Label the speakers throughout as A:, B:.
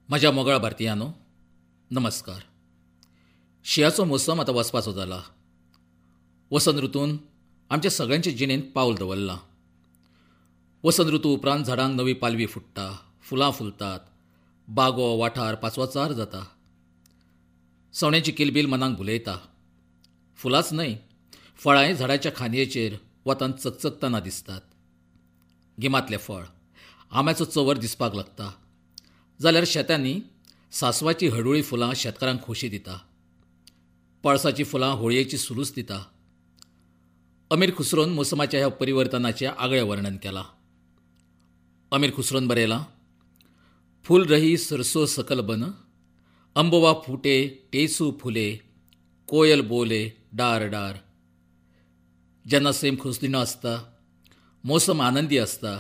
A: म्हज्या मोगाळ भारतीयांनो, नमस्कार. शिंयाचो मोसम आतां वचपाचो जाला. वसंत ऋतून आमच्या सगळ्यांचे जिणेंत पावल दवरलां. वसंत ऋतू उपरांत झाडांक नवी पालवी फुट्टा, फुलां फुलतात, बागो वाठार पाचवोचार जाता. सवण्यांची किलबील मनाक भुलयता. फुलांच न्हय, फळांय झाडाच्या खांदयेचेर वतान चकचकतना दिसतात. गिमांतलें फळ आंब्याचो चंवर दिसपाक लागता, जाल्यार शेतांनी सांसवाची हळडुळी फुलां शेतकारांक खोशी दिता. पळसाचीं फुलां होळयेची सुलूस दिता. अमीर खुसरोन मोसमाच्या ह्या परिवर्तनाचें आगळें वर्णन केलां. अमीर खुसरोन बरयलां, फूल रही सरसो सकल बन, अंबवा फुटे टेसू फुले, कोयल बोले डार डार. जेन्ना सैम खोसदिणो आसता, मोसम आनंदी आसता,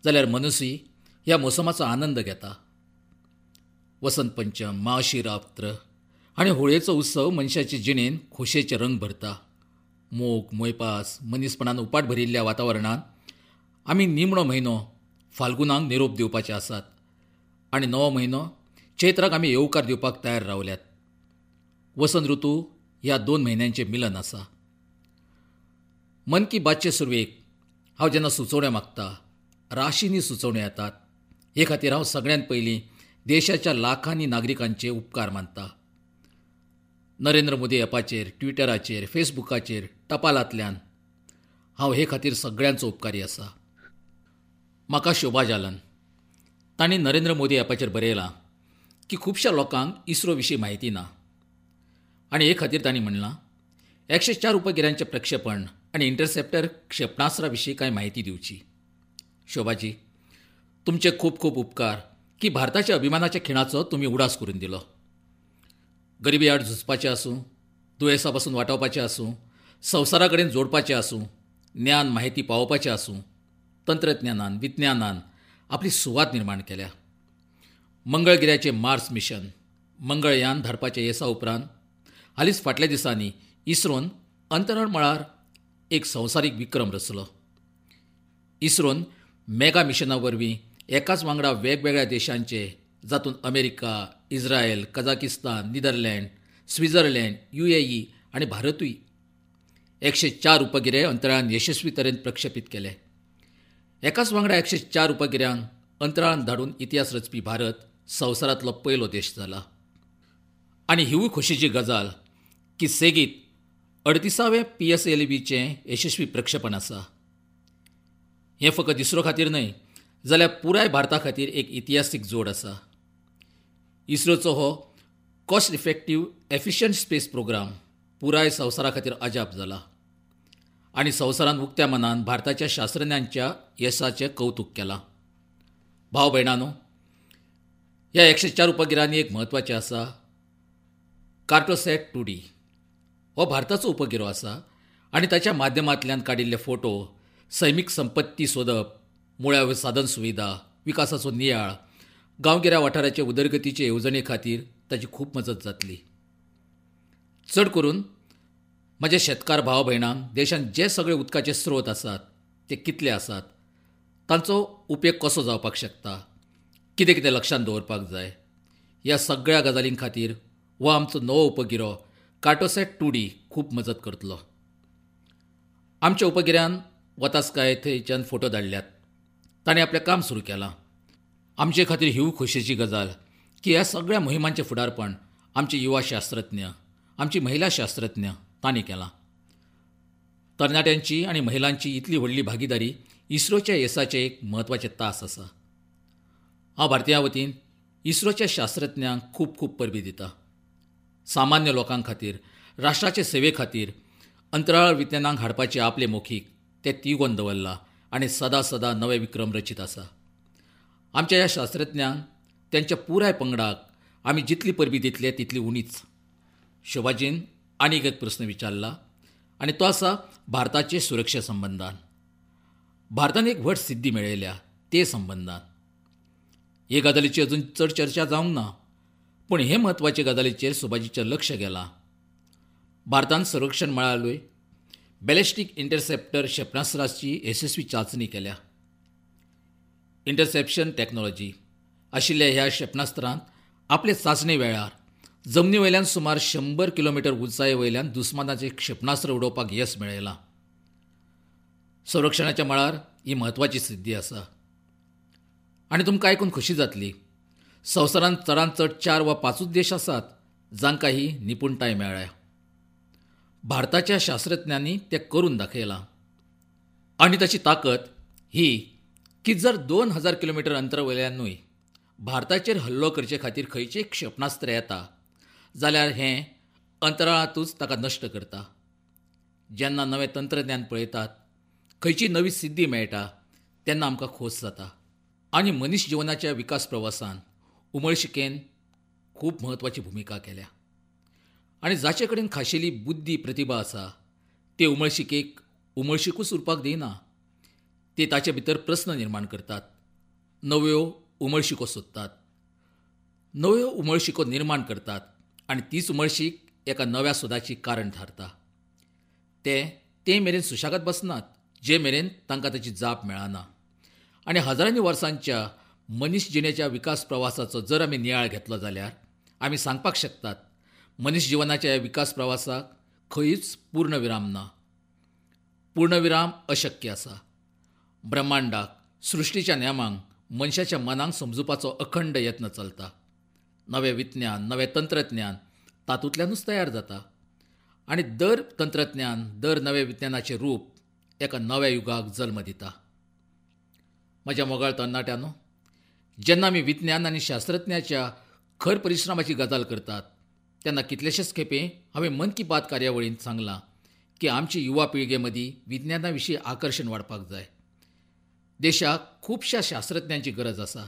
A: जाल्यार मनुष्य ह्या मोसमाचो आनंद घेता. वसंत पंचम, महाशिवरात्र आनी होळयेचो उत्सव मनशाचे जिणेंत खोशयेचे रंग भरता. मोग, मोयपास, मनीसपणान उपाट भरिल्ल्या वातावरणांत आमी निमणो म्हयनो फाल्गुनाक निरोप दिवपाचे आसात आनी नवो म्हयनो चैत्राक आमी येवकार दिवपाक तयार रावल्यात. वसंत ऋतू ह्या 2 म्हयन्यांचें मिलन आसा. मन की बातचे सुरवेक हांव जेन्ना सुचोवण्यो मागता, राशींनी सुचोवण्यो येतात. हे खातीर हांव सगळ्यांत पयलीं देशाच्या लाखांनी नागरिकांचे उपकार मानता. नरेंद्र मोदी ॲपाचेर, ट्विटराचेर, फेसबुकाचेर, टपालांतल्यान हांव हे खातीर सगळ्यांचो उपकारी आसा. म्हाका शोभा जालन तांणी नरेंद्र मोदी ॲपाचेर बरयलां की खुबश्या लोकांक इस्रो विशीं म्हायती ना आनी हे खातीर तांणी म्हणलां, 104 उपगिऱ्यांचें प्रक्षेपण आनी इंटरसेप्टर क्षेपणास्त्रा विशीं कांय म्हायती दिवची. शोभाजी, तुमचे खूब खूब उपकार की भारताच्या अभिमानाच्या खिणाचो तुमी उडास करून दिलो. गरिबी आड झुजपाचें आसूं, दुयेंसा पासून वाटावपाचें आसूं, संवसारा कडेन जोडपाचें आसूं, ज्ञान म्हायती पावोवपाचें आसूं, तंत्रज्ञानान विज्ञानान आपली सुवात निर्माण केल्या. मंगळगिऱ्याचें मार्स मिशन, मंगळयान धाडपाच्या येसा उपरांत हालींच फाटल्या दिसांनी इस्रोन अंतराळ मळार एक संवसारीक विक्रम रचलो. इस्रोन मेगा मिशना वरवीं एकाच वांगडा वेगवेगळ्या देशांचे, जातूंत America, Israel, Kazakhstan, Netherland, Switzerland, UAE आनी भारतूय, 104 उपगिरे अंतराळान यशस्वी तरेन प्रक्षेपीत केले. एकाच वांगडा 104 उपगिऱ्यांक अंतराळान धाडून इतिहास रचपी भारत संवसारांतलो पयलो देश जाला. आनी हिवूय खोशेची गजाल की सेगीत 38वें PSLVचें यशस्वी प्रक्षेपण आसा. हें फकत इस्रो खातीर न्हय, जाल्यार पुराय भारता खातीर एक इतिहासीक जोड आसा. इस्रोचो हो cost effective efficient space programme पुराय संवसारा खातीर अजाप जाला आनी संवसारान उक्त्या मनान भारताच्या शास्त्रज्ञांच्या येसाचें कौतूक केलां. भाव भयणानो, ह्या 104 उपगिरांनी एक म्हत्वाचें आसा, कार्टोसॅट 2D हो भारताचो उपगिरो आसा आनी ताच्या माध्यमांतल्यान काडिल्ले फोटो सैमीक संपत्ती सोदप, मुळाव्यो साधन सुविधा विकासाचो नियाळ, गांवगिऱ्या वाठाराचे उदरगतीचे येवजणे खातीर ताची खूब मजत जातली. चड करून म्हज्या शेतकार भाव भयणांक देशांत जे सगळे उदकाचे स्रोत आसात ते कितले आसात, तांचो उपेग कसो जावपाक शकता, कितें कितें लक्षांत दवरपाक जाय, ह्या सगळ्या गजालीं खातीर हो आमचो नवो उपगिरो कार्टोसॅट 2D खूब मजत करतलो. आमच्या उपगिऱ्यान वतास काय थंयच्यान फोटो धाडल्यात, ताणें आपलें काम सुरू केलां. आमचे खातीर हिवूय खोशयेची गजाल की ह्या सगळ्या मोहिमांचें फुडारपण आमचे युवा शास्त्रज्ञ, आमची महिला शास्त्रज्ञ तांणी केलां. तरणाट्यांची आनी महिलांची इतली व्हडली भागीदारी इस्रोच्या येसाचें एक म्हत्वाचें तास आसा. हांव भारतीयां वतीन इस्रोच्या शास्त्रज्ञांक खूब खूब परबीं दिता. सामान्य लोकां खातीर, राष्ट्राचे सेवे खातीर अंतराळ विज्ञानाक हाडपाचे आपले मोखीक ते तिगोवन दवरला आनी सदां सदां नवे विक्रम रचीत आसा. आमच्या ह्या शास्त्रज्ञांक, त्यांच्या पुराय पंगडाक आमी जितली परबीं दितले तितली उणीच. शोभाजीन आनीक एक प्रस्न विचारला आनी तो आसा भारताचे सुरक्षे संबंदान. भारतान एक व्हड सिद्धी मेळयल्या ते संबंदान. हे गजालीची अजून चड चर्चा जावंक ना, पूण हे म्हत्वाचे गजालीचेर शोभाजीचें लक्ष गेलां. भारतान संरक्षण मळारूय बॅलिस्टीक इंटरसेप्टर क्षेपणास्त्राची यशस्वी चांचणी केल्या. इंटरसेप्शन टॅक्नॉलॉजी आशिल्ल्या ह्या क्षेपणास्त्रांत आपले चांचणे वेळार जमनी वयल्यान सुमार 100 किलोमिटर उंचाये वयल्यान दुस्मानाचें क्षेपणास्त्र उडोवपाक येस मेळयलां. संरक्षणाच्या मळार ही म्हत्वाची सिद्धी आसा. आनी तुमकां आयकून खोशी जातली, संवसारांत चडांत चड 4 वा 5 देश आसात जांकां ही निपुणताय मेळ्ळ्या. भारताच्या शास्त्रज्ञांनी तें करून दाखयलां. आनी ताची ताकद ही की जर 2000 किलोमिटर अंतरा वयल्यानूय भारताचेर हल्लो करचे खातीर खंयचें क्षेपणास्त्र येता जाल्यार हें अंतराळांतूच ताका नश्ट करता. जेन्ना नवें तंत्रज्ञान पळयतात, खंयची नवी सिद्धी मेळटा तेन्ना आमकां खोस जाता. आनी मनीस जिवनाच्या विकास प्रवासान उमळशिकेन खूब म्हत्वाची भुमिका केल्या. आनी जाचे कडेन खाशेली बुद्धी प्रतिभा आसा ते उमळशिकेक उमळशिकूच उरपाक दिना. ते ताचे भितर प्रस्न निर्माण करतात, नव्यो उमळशिको सोदतात, नव्यो उमळशिको निर्माण करतात आनी तीच उमळशीक एका नव्या सोदाची कारण थारता. ते ते मेरेन सुशेगाद बसनात जे मेरेन तांकां ताची जाप मेळना. आनी हजारांनी वर्सांच्या मनीस जिणेच्या विकास प्रवासाचो जर आमी नियाळ घेतलो जाल्यार आमी सांगपाक शकतात मनीस जिवनाच्या ह्या विकास प्रवासाक खंयच पूर्णविराम ना. पूर्णविराम अशक्य आसा. ब्रह्मांडाक, सृश्टीच्या नेमांक, मनशाच्या मनाक समजुपाचो अखंड यत्न चलता. नवें विज्ञान, नवें तंत्रज्ञान तातूंतल्यानूच तयार जाता. आनी दर तंत्रज्ञान, दर नवें विज्ञानाचें रूप एका नव्या युगाक जल्म दिता. म्हज्या मोगाळ तरणाट्यांनो, जेन्ना आमी विज्ञान आनी शास्त्रज्ञाच्या खर परिश्रमाची गजाल करतात तेन्ना कितलेशेच खेपे हांवें मन की बात कार्यावळींत सांगलां की आमची युवा पिळगे मदीं विज्ञाना विशीं आकर्शण वाडपाक जाय. देशाक खुबश्या शास्त्रज्ञांची गरज आसा.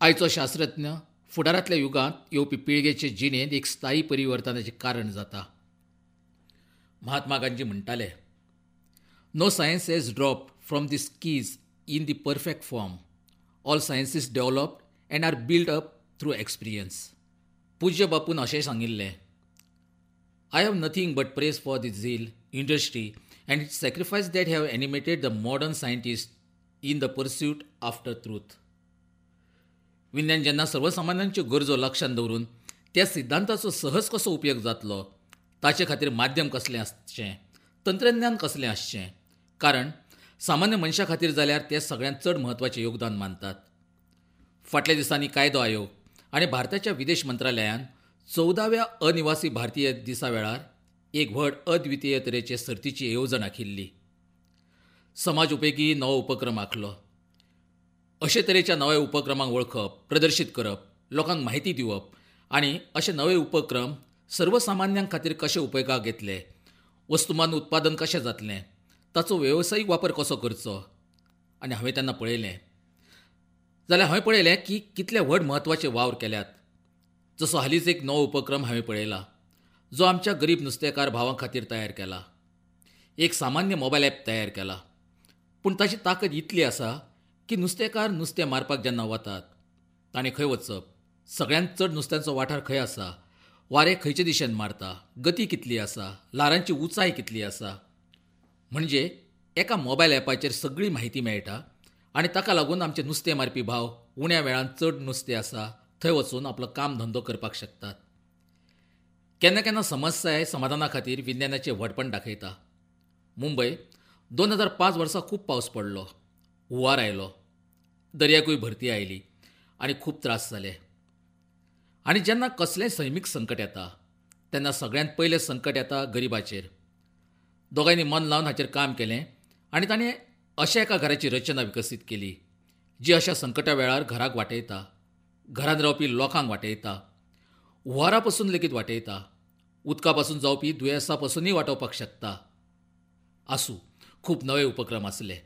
A: आयचो शास्त्रज्ञ फुडारांतल्या युगांत येवपी पिळगेचे जिणेंत एक स्थायी परिवर्तनाचें कारण जाता. महात्मा गांधी म्हणटाले, no science has dropped from the skies in the perfect form. All sciences developed and are built up through experience. पूज्य बापून अशें सांगिल्लें, I have nothing but praise for the zeal, industry and sacrifice that have animated the modern scientist in the pursuit after truth. विज्ञान जेन्ना सर्वसामान्यांच्यो गरजो लक्षांत दवरून त्या सिद्धांताचो सहज कसो उपयोग जातलो ताचे खातीर माध्यम कसलें आसचें, तंत्रज्ञान कसलें आसचें, कारण सामान्य मनशा खातीर जाल्यार ते सगळ्यांत चड म्हत्वाचें योगदान मानतात. फाटल्या दिसांनी कायदो आयोग आनी भारताच्या विदेश मंत्रालयान 14व्या अनिवासी भारतीय दिसा वेळार एक व्हड अद्वितीय तरेचे सर्तीची येवजण आखिल्ली. समाज उपेगी नवो उपक्रम आखलो. अशे तरेच्या नव्या उपक्रमांक वळखप, प्रदर्शीत करप, लोकांक म्हायती दिवप आनी अशे नवे उपक्रम सर्वसामान्यां खातीर कशे उपयोगाक येतले, वस्तुमान उत्पादन कशें जातलें, ताचो वेवसायीक वापर कसो करचो. आनी हांवें तेन्ना पळयलें जाल्यार हांवें पळयलें की कितले व्हड म्हत्वाचे वावर केल्यात. जसो हालींच एक नवो उपक्रम हांवें पळयला जो आमच्या गरीब नुस्तेकार भावां खातीर तयार केला. एक सामान्य मोबायल ॲप तयार केला, पूण ताची ताकद इतली आसा की नुस्तेकार नुस्तें मारपाक जेन्ना वतात ताणें खंय वचप, सगळ्यांत चड नुस्त्यांचो वाठार खंय आसा, वारें खंयचे दिशेन मारता, गती कितली आसा, ल्हारांची उंचाय कितली आसा, म्हणजे एका मोबायल ॲपाचेर सगळी म्हायती मेळटा. आनी ताका लागून आमचे नुस्तें मारपी भाव उण्या वेळान चड नुस्तें आसा थंय वचून आपलो काम धंदो करपाक शकतात. केन्ना केन्ना समस्याय समाधाना खातीर विज्ञानाचें व्हडपण दाखयता. मुंबय 2005 वर्सा खूब पावस पडलो, हुंवार आयलो, दर्याकूय भरती आयली आनी खूब त्रास जाले. आनी जेन्ना कसलेंय सैमीक संकट येता तेन्ना सगळ्यांत पयलें संकट येता गरिबाचेर. दोगांयनी मन लावन हाचेर काम केलें आनी ताणें अशा एका घराची रचना विकसीत केली जी अशा संकटा वेळार घराक वाटयता, घरांत रावपी लोकांक वाटयता, हुंवारा पसून लेगीत वाटयता, उदका पासून जावपी दुयेंसा पासूनय वाटोवपाक शकता. आसूं, खूब नवे उपक्रम आसले.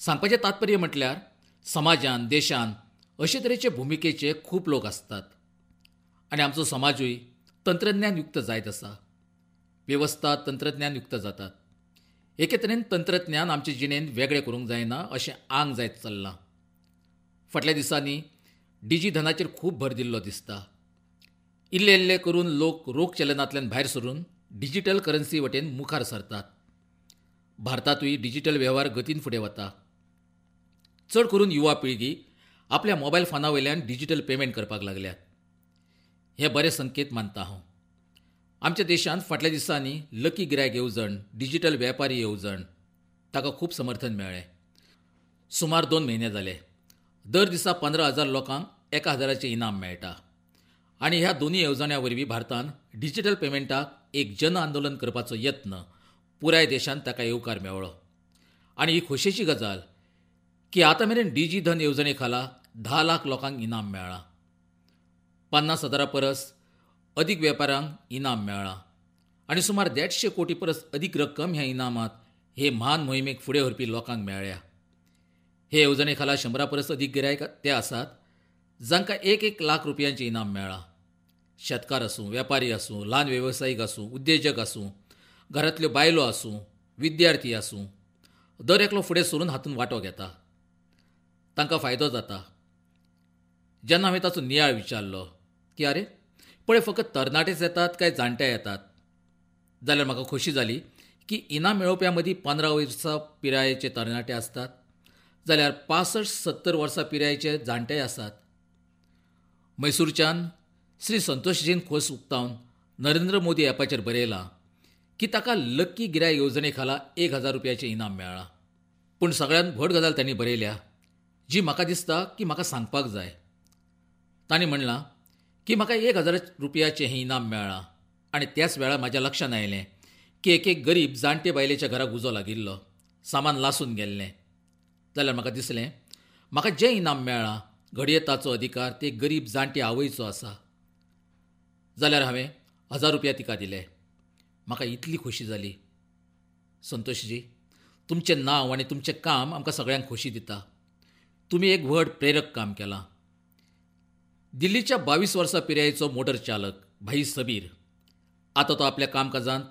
A: सांगपाचें तात्पर्य म्हटल्यार समाजान, देशान अशे तरेचे भुमिकेचे खूब लोक आसतात आनी आमचो समाजूय तंत्रज्ञान युक्त जायत आसा. वेवस्था तंत्रज्ञान युक्त जातात. एके तरेन तंत्रज्ञान आमचे जिणेंत वेगळें करूंक जायना अशें आंग जायत चल्लां. फाटल्या दिसांनी डिजिधनाचेर खूब भर दिल्लो दिसता. इल्ले इल्ले करून लोक रोख चलनांतल्यान भायर सरून डिजिटल करन्सी वटेन मुखार सरतात. भारतांतूय डिजिटल वेव्हार गतीन फुडें वता. चड करून युवा पिळगी आपल्या मोबायल फोना वयल्यान डिजिटल पेमेंट करपाक लागल्यात. हे बरे संकेत मानता हांव. आमच्या देशांत फाटल्या दिसांनी लकी गिरायक येवजण, डिजिटल वेपारी येवजण ताका खूब समर्थन मेळ्ळें. सुमार 2 म्हयने जाले दर दिसा 15,000 लोकांक 1,000 इनाम मेळटा आनी ह्या दोनूय येवजण्यां वरवीं भारतान डिजिटल पेमेंटाक एक जन आंदोलन करपाचो यत्न पुराय देशांत ताका येवकार मेळ्ळो. आनी ही खोशयेची गजाल की आतां मेरेन डिजी धन येवजणे खाला 10 लाख लोकांक इनाम मेळ्ळां. 50,000 परस अदीक वेपाऱ्यांक इनाम मेळ्ळां आनी सुमार 150 कोटी परस अदीक रक्कम ह्या इनामांत हे म्हान मोहिमेक फुडें व्हरपी लोकांक मेळ्ळ्या. हे येवजणे खाला 100 परस अदीक गिरायक ते आसात जांकां 1-1 लाख रुपयांचें इनाम मेळ्ळां. शेतकार आसूं, वेपारी आसूं, ल्हान वेवसायीक आसूं, उद्देजक आसूं, घरांतल्यो बायलो आसूं, विद्यार्थी आसूं, दर एकलो फुडें सरून हातूंत वांटो घेता. तांकां फायदो जाता. जेन्ना हांवें ताचो नियाळ विचारलो की आरे पळय फकत तरणाटेच येतात काय जाणटे येतात, जाल्यार म्हाका खोशी जाली की इनाम मेळोवप्यां मदीं 15 वर्सां पिरायेचे तरणाटे आसतात जाल्यार 65-70 वर्सां पिरायेचे जाणटेय आसात. मैसूरच्यान श्री संतोषजीन खोस उक्तावन नरेंद्र मोदी ॲपाचेर बरयलां की ताका लक्की गिरायक येवजणे खाला 1,000 रुपयाचें इनाम मेळ्ळां. पूण सगळ्यांत व्हड गजाल तांणी बरयल्या जी म्हाका दिसता की म्हाका सांगपाक जाय. तांणी म्हणलां की म्हाका 1,000 रुपयाचें हें इनाम मेळ्ळां आनी त्याच वेळार म्हाज्या लक्षांत आयलें की एक एक गरीब जाणटे बायलेच्या घराक उजो लागिल्लो, सामान लासून गेल्लें. जाल्यार म्हाका दिसलें म्हाका जें इनाम मेळ्ळां घडये ताचो अधिकार ते गरीब जाणटे आवयचो आसा. जाल्यार हांवें 1,000 रुपया तिका दिले. म्हाका इतली खोशी जाली. संतोषजी, तुमचें नांव आनी तुमचें काम आमकां सगळ्यांक खोशी दिता. तुमी एक व्हड प्रेरक काम केलां. दिल्लीच्या 22 वर्सां पिरायेचो मोटर चालक भाई सबीर आतां तो आपल्या कामकाजांत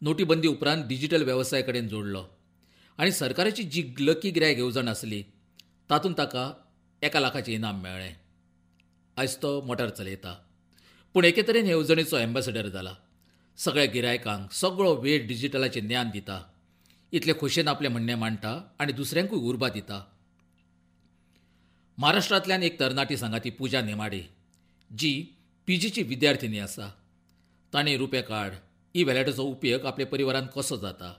A: नोटीबंदी उपरांत डिजिटल वेवसाया कडेन जोडलो आनी सरकाराची जी लकी गिरायक येवजण आसली तातूंत ताका 1 लाखाचें इनाम मेळ्ळें. आयज तो मोटार चलयता, पूण एके तरेन येवजणेचो एम्बेसडर जाला. सगळ्या गिरायकांक सगळो वेळ डिजिटलाचें ज्ञान दिता, इतले खोशयेन आपलें म्हणणें मांडटा आनी दुसऱ्यांकूय उर्बा दिता. महाराष्ट्रांतल्यान एक तरणाटी सांगाती पूजा नेमाडे जी पीजीची विद्यार्थिनी आसा, ताणें रुपे कार्ड ई वॅलेटाचो उपयोग आपल्या परिवारान कसो जाता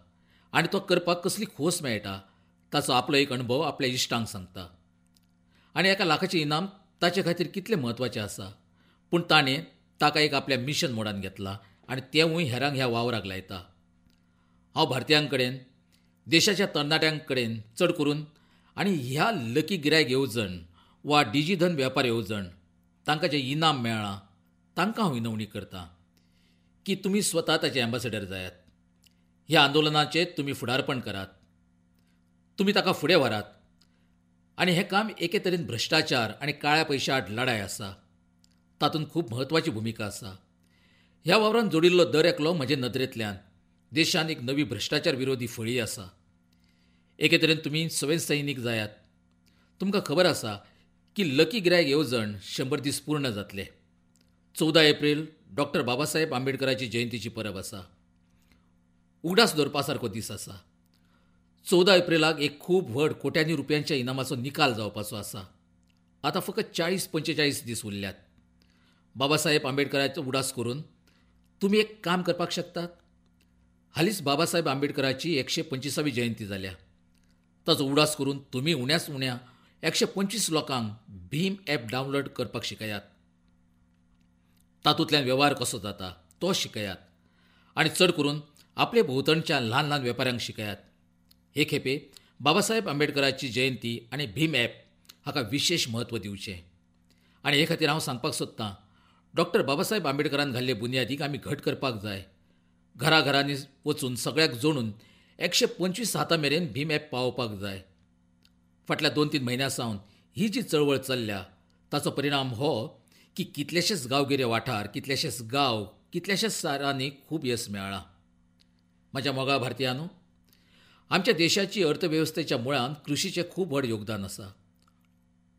A: आनी तो करपाक कसली खोस मेळटा ताचो आपलो एक अणभव आपल्या इश्टांक सांगता आनी 1 लाखाचें इनाम ताचे खातीर कितलें म्हत्वाचें आसा, पूण ताणें ताका एक आपल्या मिशन मोडान घेतला आनी तेवूय हेरांक ह्या वावराक लायता. हांव भारतीयां कडेन, देशाच्या तरणाट्यां कडेन चड करून आनी ह्या लकी गिरायक येवजण वा डिजिधन वेपार येवजण तांकां जें इनाम मेळ्ळां तांकां हांव विनवणी करतां की तुमी स्वता ताचे एम्बेसडर जायात. ह्या आंदोलनाचें तुमी फुडारपण करात, तुमी ताका फुडें व्हरात आनी हें काम एके तरेन भ्रश्टाचार आनी काळ्या पयशा आड लढाय आसा, तातूंत खूब म्हत्वाची भुमिका आसा. ह्या वावरान जोडिल्लो दर एकलो म्हजे नदरेंतल्यान देशांत एक नवी भ्रश्टाचार विरोधी फळी आसा. एके तरेन तुमी स्वयंसैनीक जायात. तुमकां खबर आसा की लकी गिरायक येवजण 100 दीस पूर्ण जातले. 14 एप्रील डॉक्टर बाबासाहेब आंबेडकराची जयंतीची परब आसा. उगडास दवरपा सारको दीस आसा. 14 एप्रिलाक एक खूब व्हड कोट्यांनी रुपयांच्या इनामाचो निकाल जावपाचो आसा. आतां फकत 40-45 दीस उरल्यात. बाबासाहेब आंबेडकराचो उगडास करून तुमी एक काम करपाक शकतात. हालींच बाबासाहेब आंबेडकराची 125वी जयंती जाल्या. ताचो उगडास करून तुमी उण्याच उण्या 125 लोकांक भीम ॲप डावनलोड करपाक शिकयात. तातूंतल्यान वेव्हार कसो जाता तो शिकयात आनी चड करून आपले भोंवतणच्या ल्हान ल्हान वेपाऱ्यांक शिकयात. हे खेपे बाबासाहेब आंबेडकराची जयंती आनी भीम ॲप हाका विशेश म्हत्व दिवचें आनी हे खातीर हांव सांगपाक सोदतां, डॉक्टर बाबासाहेब आंबेडकरान घाल्ले बुन्यादीक आमी घट करपाक जाय. घराघरांनी वचून सगळ्याक जोडून 125 हाता मेरेन भीम ॲप पावोवपाक जाय. फाटल्या 2-3 म्हयन्यां सावन ही जी चळवळ चल्ल्या ताचो परिणाम हो की कितलेशेच गांवगिरे वाठार, कितलेशेच गांव, कितल्याशाच शारांनी खूब येस मेळ्ळां. म्हज्या मोगाळ भारतीयांनो, आमच्या देशाची अर्थवेवस्थेच्या मुळांत कृशीचें खूब व्हड योगदान आसा.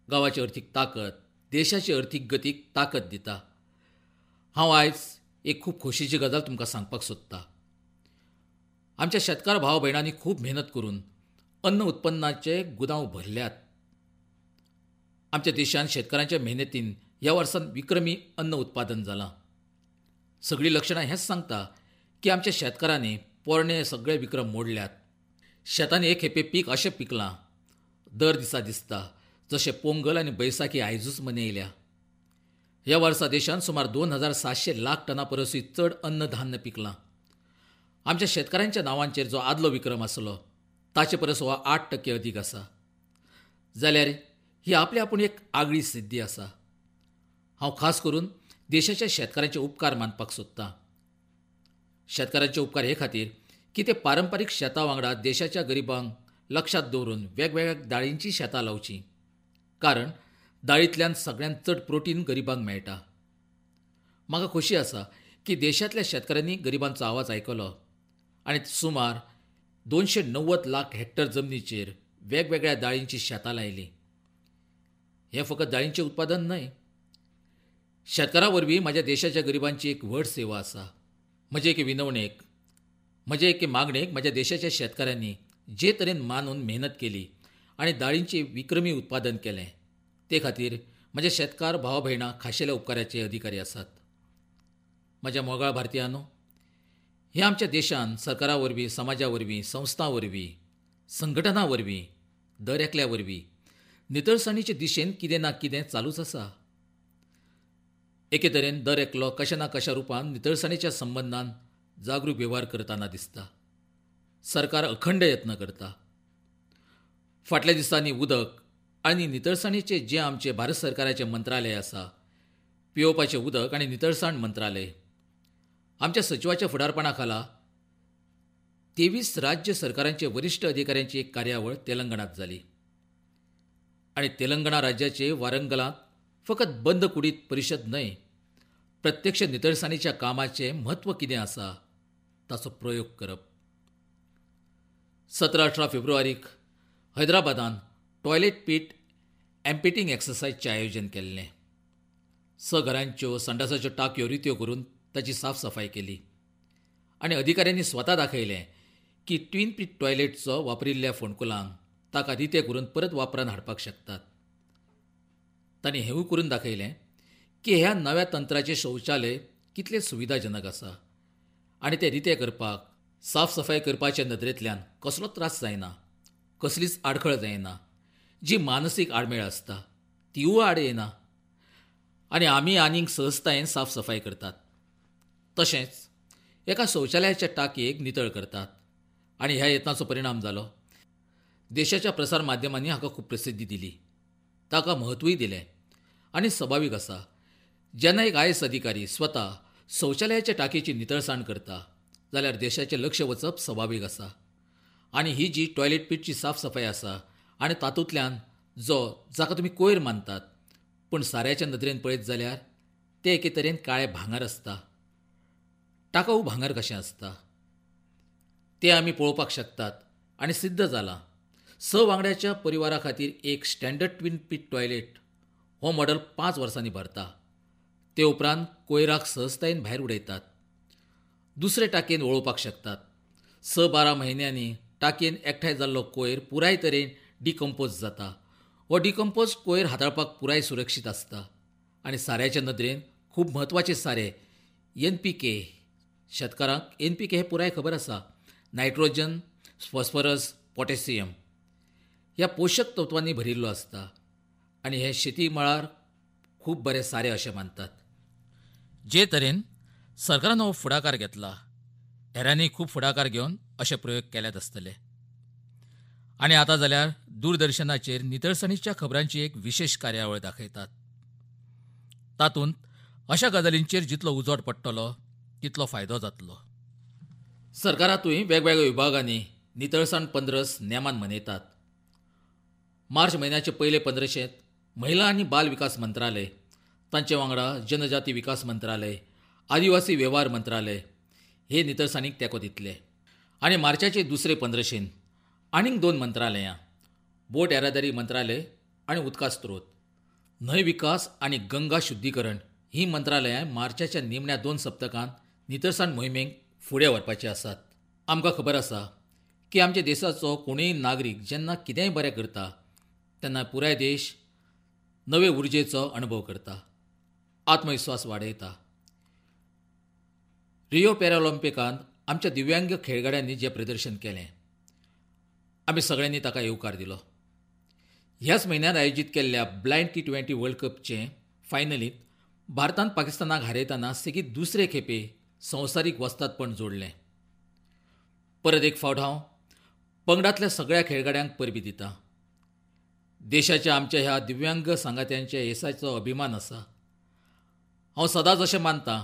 A: गांवाची अर्थीक ताकद देशाची अर्थीक गतीक ताकद दिता. हांव आयज एक खूब खोशयेची गजाल तुमकां सांगपाक सोदतां. आमच्या शेतकार भाव भयणांनी खूब मेहनत करून अन्न उत्पन्नाचे गुदांव भरल्यात. आमच्या देशान शेतकारांच्या मेहनतीन ह्या वर्सान विक्रमी अन्न उत्पादन जालां. सगळीं लक्षणां हेंच सांगता की आमच्या शेतकारांनी पोरणे सगळे विक्रम मोडल्यात. शेतांनी एक खेपे पीक अशें पिकलां दर दिसा दिसता जशें पोंगल आनी बैसाखी आयजूच मनयल्या. ह्या वर्सा देशांत सुमार 2700 लाख टना परसूय चड अन्न धान्य पिकलां. आमच्या शेतकारांच्या नांवांचेर जो आदलो विक्रम आसलो ताचे परस हो 8% अदीक आसा. जाल्यार ही आपले आपूण एक आगळी सिद्धी आसा. हांव खास करून देशाच्या शेतकारांचे उपकार मानपाक सोदतां. शेतकारांचे उपकार हे खातीर की ते पारंपारीक शेतां वांगडा देशाच्या गरिबांक लक्षांत दवरून वेगवेगळ्या दाळींची शेतां लावचीं, कारण दाळींतल्यान सगळ्यांत चड प्रोटीन गरिबांक मेळटा. म्हाका खोशी आसा की देशांतल्या शेतकारांनी गरिबांचो आवाज आयकलो आनी सुमार 290 लाख हेक्टर जमनीचेर वेगवेगळ्या दाळींची शेतां लायलीं. हें फकत दाळींचें उत्पादन न्हय, शेतकारां वरवीं म्हज्या देशाच्या गरिबांची एक व्हड सेवा आसा. म्हजे एके विनवणेक, म्हजे एके मागणेक म्हज्या देशाच्या शेतकारांनी जे तरेन मानून मेहनत केली आनी दाळींचें विक्रमी उत्पादन केलें ते खातीर म्हजे शेतकार भाव भयणां खाशेल्या उपकाराचे अधिकारी आसात. म्हज्या मोगाळ भारतीयांनो, हे आमच्या देशान सरकारा वरवीं, समाजा वरवीं, संस्थां वरवीं, संघटनां वरवीं, दर एकल्या वरवीं नितळसाणीचे दिशेन कितें ना कितें चालूच आसा. एके तरेन दर एकलो कशा ना कशा रुपान नितळसाणीच्या संबंदान जागरूक वेव्हार करतना दिसता. सरकार अखंड यत्न करता. फाटल्या दिसांनी उदक आनी नितळसाणीचें जें आमचें भारत सरकाराचें मंत्रालय आसा, पियोवपाचें उदक आनी नितळसाण मंत्रालय, आमच्या सचिवाच्या फुडारपणा खाला 23 राज्य सरकारांचे वरिश्ठ अधिकाऱ्यांची एक कार्यावळ तेलंगणांत जाली आनी तेलंगणा राज्याचे वारंगलांत फकत बंद कुडीत परिशद न्हय, प्रत्यक्ष नितळसाणीच्या कामाचें म्हत्व कितें आसा ताचो प्रयोग करप. 17-18 फेब्रुवारीक हैदराबादान टॉयलेट पीट एम्पिटिंग एक्सरसायजचें आयोजन केल्लें. 6 घरांच्यो संडासाच्यो टाकयो रित्यो करून ताची साफसफाय केली आनी अधिकाऱ्यांनी स्वता दाखयलें की ट्विन पीट टॉयलेटचो वापरिल्ल्या फोंडकुलांक ताका रितें करून परत वापरान हाडपाक शकतात. तांणी हेंवूय करून दाखयलें की ह्या नव्या तंत्राचें शौचालय कितलें सुविधाजनक आसा आनी तें रितें करपाक, साफसफाय करपाच्या नदरेंतल्यान कसलो त्रास जायना, कसलीच आडखळ जायना. जी मानसीक आडमेळ आसता तिवूय आड येना आनी आमी आनीक सहजतायेन साफसफाय करतात. तशेंच एका शौचालयाच्या टाकयेक नितळ करतात आनी ह्या यत्नाचो परिणाम जालो. देशाच्या प्रसार माध्यमांनी हाका खूब प्रसिद्धी दिली, ताका म्हत्वूय दिलें आनी सभावीक आसा, जेन्ना एक IAS अधिकारी स्वता शौचालयाच्या टाकयेची नितळसाण करता जाल्यार देशाचें लक्ष वचप सभावीक आसा. आनी ही जी टॉयलेट पीटची साफसफाय आसा आनी तातूंतल्यान जो जाका तुमी कोयर मानतात पूण साऱ्याच्या नदरेन पळयत जाल्यार ते एके तरेन काळें भांगर आसता, टाकाऊ भांगर कशें आसता तें आमी पळोवपाक शकतात आनी सिद्ध जालां. 6 वांगड्याच्या परिवारा खातीर एक स्टँडर्ड ट्विन पीट टॉयलेट हो मॉडल 5 वर्सांनी भरता. ते उपरांत कोयराक सहजतायेन भायर उडयतात, दुसरे टाकयेन वळोवपाक शकतात. 6-12 म्हयन्यांनी टाकयेन एकठांय जाल्लो कोयर पुराय तरेन डिकम्पोज जाता. हो डिकम्पोज कोयर हाताळपाक पुराय सुरक्षीत आसता आनी साऱ्याच्या नदरेन खूब म्हत्वाचें सारें NPK, शेतकारांक NPK हें पुराय खबर आसा, नायट्रोजन, फॉस्फरस, पोटॅशियम ह्या पोशक तत्वांनी भरिल्लो आसता आनी हे शेती मळार खूब बरें सारें अशें मानतात. जे तरेन सरकारान हो फुडाकार घेतला, हेरांनी खूब फुडाकार घेवन अशे प्रयोग केल्यात आसतले. आनी आतां जाल्यार दूरदर्शनाचेर नितळसाणीच्या खबरांची एक विशेष कार्यावळ दाखयतात. तातूंत अशा गजालींचेर जितलो उजवाड पडटलो तितलो फायदो जातलो. सरकारांतूय वेगवेगळ्या विभागांनी नितळसाण पंद्रस नेमान मनयतात. मार्च म्हयन्याचे पयले पंद्रशेंत महिला आनी बाल विकास मंत्रालय, तांचे वांगडा जनजाती विकास मंत्रालय, आदिवासी वेव्हार मंत्रालय हे नितळसाणीक तेंको दितले. आनी मार्चाचे दुसरे पंद्रशेन आनीक 2 मंत्रालयां, बोट येरादारी मंत्रालय आनी उदका स्त्रोत, न्हंय विकास आनी गंगा शुद्धीकरण ही मंत्रालयां मार्चाच्या निमण्या 2 सप्तकांत नितळसाण मोहिमेक फुडें व्हरपाची आसात. आमकां खबर आसा की आमच्या देशाचो कोणूय नागरीक जेन्ना कितेंय बरें करता तेन्ना पुराय देश नवे उर्जेचो अणभव करता. आत्मविस्वास वाडयता. रियो पॅराऑलिम्पिकांत आमच्या दिव्यांग खेळगड्यांनी जें प्रदर्शन केलें, आमी सगळ्यांनी ताका येवकार दिलो. ह्याच म्हयन्यांत आयोजीत केल्ल्या ब्लायंड T20 world कपचे फायनलींत भारतान पाकिस्तानाक हारयतना सेगीत दुसरे खेपे संवसारीक वस्तादपण जोडलें. परत एक फावट हांव पंगडांतल्या सगळ्या खेळगड्यांक परबीं दिता. देशाच्या आमच्या ह्या दिव्यांग सांगात्यांच्या येसाचो अभिमान आसा. हांव सदांच अशें मानता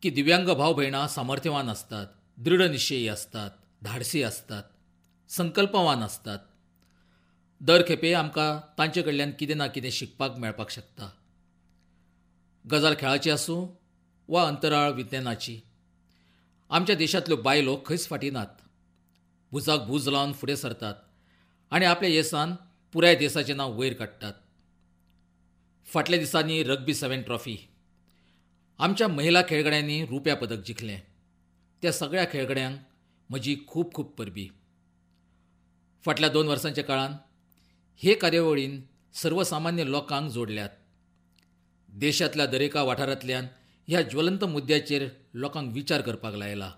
A: की दिव्यांग भाव भयणां सामर्थ्यवान आसतात, दृढनिश्चयी आसतात, धाडसी आसतात, संकल्पवान आसतात. दर खेपे आमकां तांचे कडल्यान कितें ना कितें शिकपाक मेळपाक शकता. गजाल खेळाची आसूं वा अंतराळ विज्ञानाची, आमच्या देशांतल्यो बायलो खंयच फाटीं नात. भुजाक भूज लावन फुडें सरतात आनी आपल्या येसान पुराय देशाचें नांव वयर काडटात. फाटल्या दिसांनी रग्बी 7 ट्रॉफी आमच्या महिला खेळगड्यांनी रुप्या पदक जिखलें. त्या सगळ्या खेळगड्यांक म्हजी खूब खूब परबीं. फाटल्या 2 वर्सांच्या काळांत हे कार्यावळीन सर्वसामान्य लोकांक जोडल्यात. देशांतल्या दरेका वाठारांतल्यान ह्या ज्वलंत मुद्द्याचेर लोकांक विचार करपाक लायला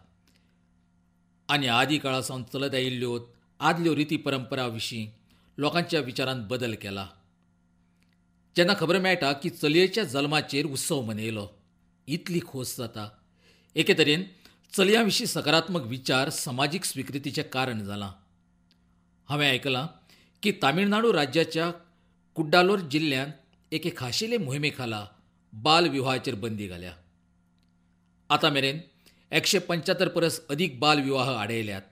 A: आनी आदी काळा सावन चलत आयिल्ल्यो आदल्यो रिती परंपरा विशीं लोकांच्या विचारांत बदल केला. जेन्ना खबर मेळटा की चलयेच्या जल्माचेर उत्सव मनयलो, इतली खोस जाता. एके तरेन चलयां विशीं सकारात्मक विचार समाजीक स्विकृतीचें कारण जालां. हांवें आयकलां की तामिळनाडू राज्याच्या कुड्डालोर जिल्ल्यांत एके खाशेले मोहिमे खाला बाल विवाहाचेर बंदी घाल्या. आतां मेरेन 175 परस अदीक बाल विवाह आडयल्यात.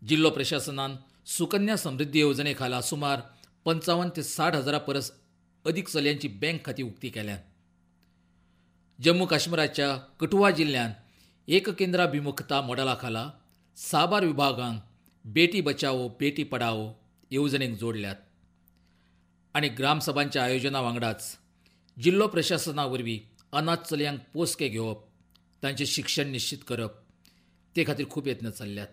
A: जिल्लो प्रशासनान सुकन्या समृद्धी येवजणे खाला सुमार 55 ते 60 हजारा परस अदीक चलयांची बँक खातीं उक्ती केल्यांत. जम्मू काश्मीराच्या कठुआ जिल्ल्यांत एककेंद्राभिमुखता मॉडेला खाला साबार विभागांक बेटी बचाओ बेटी पढाओ येवजणेक जोडल्यात आनी ग्रामसभांच्या आयोजना वांगडाच जिल्लो प्रशासना वरवीं अनाथ चलयांक पोसके घेवप, तांचें शिक्षण निश्चित करप, ते खातीर खूब यत्न चल्ल्यात.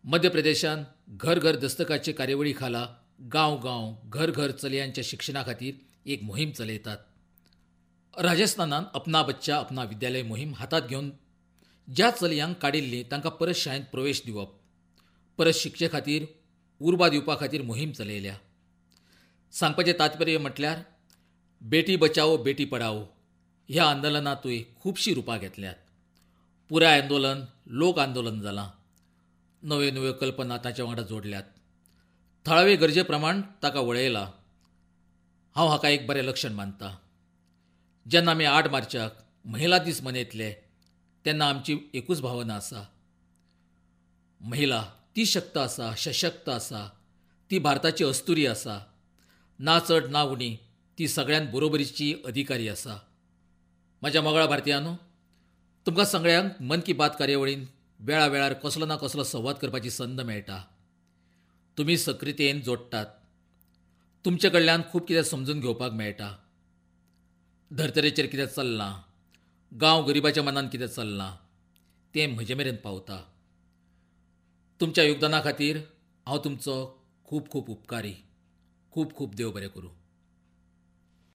A: मध्य प्रदेशांत घर घर दस्तकाचे कार्यावळी खाला गांव गांव घर घर चलयांच्या शिक्षणा खातीर एक मोहीम चलयतात. राजस्थानान अपना बच्चा अपना विद्यालय मोहीम हातांत घेवन ज्या चलयांक काडिल्लीं तांकां परत शाळेंत प्रवेश दिवप, परत शिकचे खातीर उर्बा दिवपा खातीर मोहीम चलयल्या. सांगपाचें तात्पर्य म्हटल्यार बेटी बचाओ बेटी पढाओ ह्या आंदोलनांतूय खुबशीं रुपां घेतल्यात. पुराय आंदोलन लोक आंदोलन जालां. नव्यो नव्यो कल्पना ताच्या वांगडा जोडल्यात, थळावे गरजे प्रमाण ताका वळयला. हांव हाका एक बरें लक्षण मानता. जेन्ना आमी 8 मार्चाक महिला दीस मनयतले तेन्ना आमची एकूच भावना आसा, महिला ती शक्त आसा, सशक्त आसा, ती भारताची अस्तुरी आसा, ना चड ना उणी, ती सगळ्यांत बरोबरीची अधिकारी आसा. म्हज्या मोगाळ भारतीयांनो, तुमकां सगळ्यांक मन की बात कार्यावळीन वेळा वेळार कसलो ना कसलो संवाद करपाची संद मेळटा. तुमी सक्रियतेन जोडटात, तुमचे कडल्यान खूब कितें समजून घेवपाक मेळटा. धर्तरेचेर कितें चल्लां, गांव गरिबाच्या मनान कितें चल्लां तें म्हजे मेरेन पावता. तुमच्या योगदाना खातीर हांव तुमचो खूब खूब उपकारी. खूब खूब देव बरें करूं.